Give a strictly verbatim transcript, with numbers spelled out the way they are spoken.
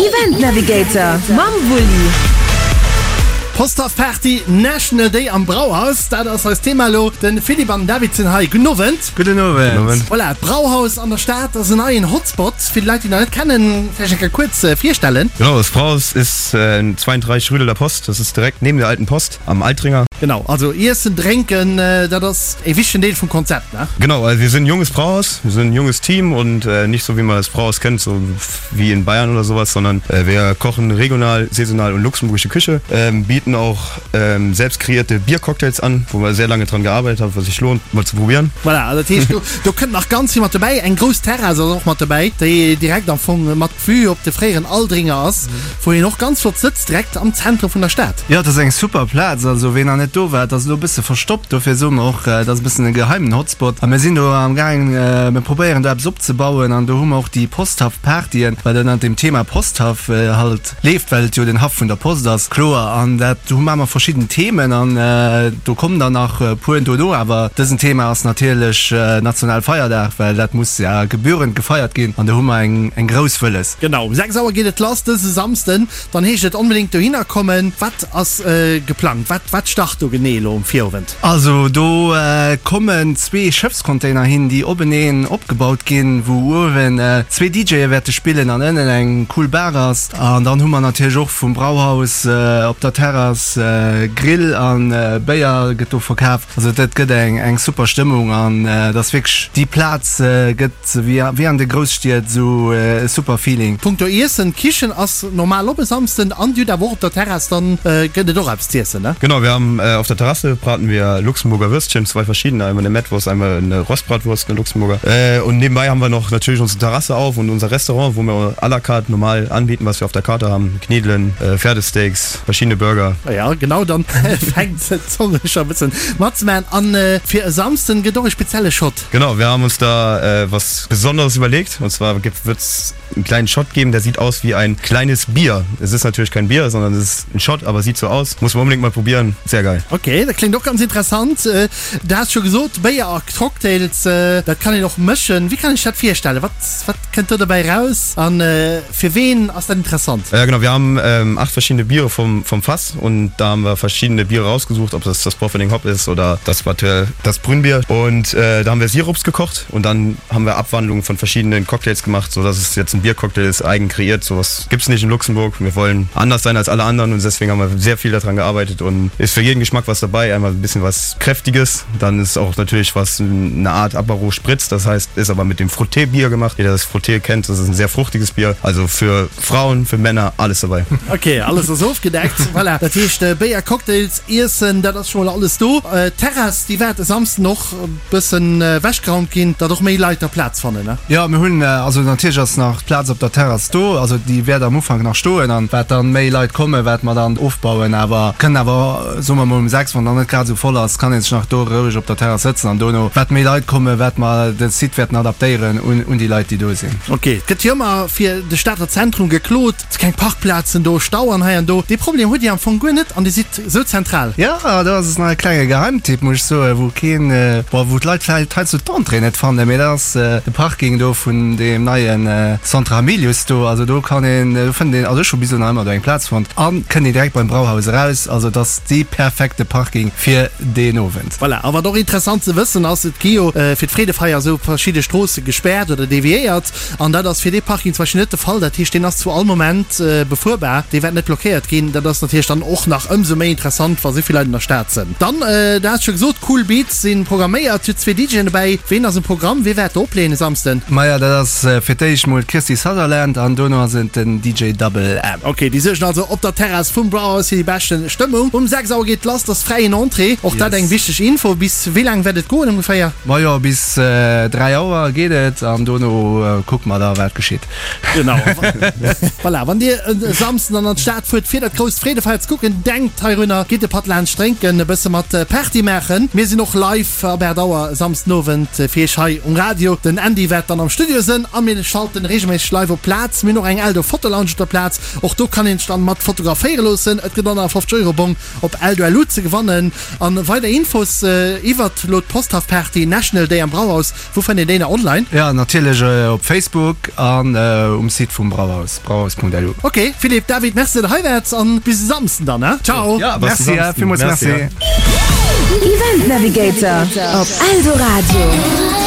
Event Navigator mam Wulli. Posthaff Party National Day am Brauhaus, dat ass eist Thema elo. De Philippe an den David sinn hei. Gudden Owend. Gudden Owend. Voilà, d'Brauhaus an der Stad ass en neien Hotspot. Fir déi Leit, déi nach net kennen, vläicht eng Kéier kuerz virstellen. Genau, das Brauhaus ist zweiunddreißig rue de la Poste, das ist direkt neben der alten Post am Altringer. Genau, also Iessen, Drénken, dat ass e wichtegen Deel vum Konzept, ne? Genau, also wir sind ein junges Brauhaus, wir sind ein junges Team und nicht so wie man das Brauhaus kennt, so wie in Bayern oder sowas, sondern wir kochen regional, saisonal und luxemburgische Küche, bieten auch selbst kreierte Biercocktails an, wo wir sehr lange dran gearbeitet haben, was sich lohnt mal zu probieren. Voilà, also dat heescht, do, do kënnt nach ganz vill mat dobäi. Eng grouss Terrass ass och mat dobäi, déi direkt am Fong mat Vue op de fréieren Aldringer ass, wou een och ganz flott sëtzt, direkt am Zentrum vun der Stad. Jo, et ass eng super Plaz. Also ween nach net do war, et ass elo e bësse verstoppt, dofir soe mer och, et ass e bëssen e geheimen Hotspot. A mir sinn do am gaang, mir probéieren do eppes opzebauen an do hu mer och déi Posthaff-Partyen, wat ënnert dem Thema Posthaff halt leeft, well et jo den Haff vun der Post ass, kloer. An dat, do hu mer verschidden Themen an do kommen der nach e puer dono. Awer dësen Thema ass natierlech Nationalfeierdag, well dat muss ja gebührend gefeiert ginn an do hu mer eng eng grouss wëlles. Genau, um sechs Auer geet et lass dëse Samsden. Dann heescht et onbedéngt dohinner kommen. Wat ass geplangt? Wat wat start do genee elo um Virowend? Also do kommen zwee Schëffscontainer hin, déi openeen opgebaut ginn, wou uewen zwee DJe wäerte spillen an ënnen eng cool Bar ass. An dann hu mer natierlech och vum Brauhaus op der Terrass Grill a Béier gëtt do verkaf. Also dat gëtt eng eng super Stëmmung an et ass wierklech déi Plaz gëtt wéi wéi an de Grousstied esou e super Feeling. Punkto Iessen, d'Kichen ass normal op e Samsden an Dir hutt awer och op der Terrass, dann gëtt et och eppes z'iessen, ne? Genau, wir haben auf der Terrasse braten wir Luxemburger Würstchen, zwei verschiedene, einmal eine Mettwurst, einmal eine Rostbratwurst, eine Luxemburger. Und nebenbei haben wir noch natürlich unsere Terrasse auf und unser Restaurant, wo wir à la carte normal anbieten, was wir auf der Karte haben, Knedelen, Pferdesteaks, verschiedene Burger. Ja, genau, dann fänkt d'Zong scho e bëssen matzemaachen. An fir e Samsden gëtt och e spezielle Shot. Genau, wir haben uns da was Besonderes überlegt und zwar wird's einen kleinen Shot geben, der sieht aus wie ein kleines Bier. Es ist natürlich kein Bier, sondern es ist ein Shot, aber sieht so aus. Muss man unbedingt mal probieren. Sehr geil. Ok, dat kléngt och ganz interessant. Du has scho gesot, Béier a Cocktails, dat kann een och mëschen. Wéi kann ech dat virstellen? Wat, wat kënnt do dobäi raus a fir ween ass dat interessant? Ja genau, wir haben ähm, acht verschiedene Biere vom, vom Fass und da haben wir verschiedene Biere rausgesucht, ob das das Bofferding Hop ist oder das das Brünnbier. Und äh, da haben wir Sirups gekocht und dann haben wir Abwandlungen von verschiedenen Cocktails gemacht, so dass es jetzt ein Biercocktail ist, eigen kreiert. Sowas gibt's nicht in Luxemburg. Wir wollen anders sein als alle anderen und deswegen haben wir sehr viel daran gearbeitet und ist für jeden Geschmack was dabei. Einmal ein bisschen was Kräftiges, dann ist auch natürlich was eine Art Apero Spritz, das heißt, ist aber mit dem Frotté-Bier gemacht. Jeder das Frotté kennt, das ist ein sehr fruchtiges Bier. Also für Frauen, für Männer, alles dabei. Ok, alles ass ofgedeckt. Voilà, dat heescht Béier, Cocktails, Iessen, dat ass scho mol alles do. D'Terrass, déi wäert e Samsden och e bëssen ewechgeraumt ginn, datt och méi Leit da Plaz fannen, ne? Jo, mir hunn, also natierlech ass nach d'Plaz op der Terrass do, also déi wäert am Ufank nach stoen an wat dann méi Leit kommen, wat mer dann ofbauen. Awer kënnen awer, soe mer mol um sechs, wann dann net grad esou voll ass, kann ee sech nach do roueg op der Terrass sëtzen an dono, wat méi Leit kommen, wat mer de Site wäerten adaptéieren un un déi Leit, déi do sinn. Ok, et gëtt jo ëmmer fir de Stater Zentrum geklot, et si keng Parkplazen do, Stau an hei an do. Dee Problem hutt Dir am Fong guer net an Dir sidd esou zentral. Jo, do ass et nach e klenge Geheimtipp, muss ech soen, wou keen, bon, wou d'Leit vläicht heiansdo d'Entrée net fannen, mee dat ass de Parking do vun deem neie Centre Hamilius do. Also do kann een, do fënnt een, also ech hu bis elo nach ëmmer do eng Plaz fonnt a kënnt een direkt beim Brauhaus eraus. Also et ass dee perfekte Parking fir deen Owend. Voilà, a wat och interessant ze wëssen ass, et gi jo fir d'Freedefeier esou verschidde Stroosse gespäert oder deviéiert an dat ass fir dee Parking zum Beispill net de Fall. Dat heescht, deen ass zu all Moment befuerbar, dee wäert net blockéiert ginn. Dat ass natierlech dann och nach ëmsou méi interessant, wa souvill Leit an der Stad sënn. Dann, du has scho gesot, Cool Beats si programméiert, hutt zwee DJen dobäi. Ween ass um Programm? Wee wäert do opleeën e Samsden? Maja, dat ass fir d'éischt mol d'Kirsty Sutherland an dono ass et den D J Double M. Ok, déi suergen also op der Terrass vum Brauhaus fir déi beschte Stëmmung. Um sechs Auer geet lass, dat ass fräien Entrée. Och dat eng wichteg Info. Bis wéi laang wäert et goen ongeféier? Majo, bis dräi Auer geet et an dono kucke mer da wat geschitt. Genau. Voilà, wann Dir e Samsden dann an d'Stad fuert fir dat grousst Freedefeier ze kucken, denkt heirunner, gitt e Patt laanscht drénken, e bësse mat Party maachen. Mir sinn och live ab aacht Auer e Samsdenowend fir Iech hei um Radio. Den Andy wäert dann am Studio sënn a mir schalten reegelméisseg live op d'Plaz. Mir hunn och eng Eldo Fotolounge op der Plaz, och do kann een sech dann mat fotograféiere loossen. Et gëtt en honnertfofzeg Euro Bong op Eldo L U. LU ze gewannen. An weider Infos iwwert elo d'Posthaff-Party National Day am Brauhaus, wou fënnt een déi nach online? Jo, natierlech op Facebook an um Site vum Brauhaus, brauhaus.lu. Ok, Philippe, David, Merci, datt der hei waart an bis e Samsden dann, he? Ciao! Jo, merci, villmools merci. Event Navigator op Eldoradio.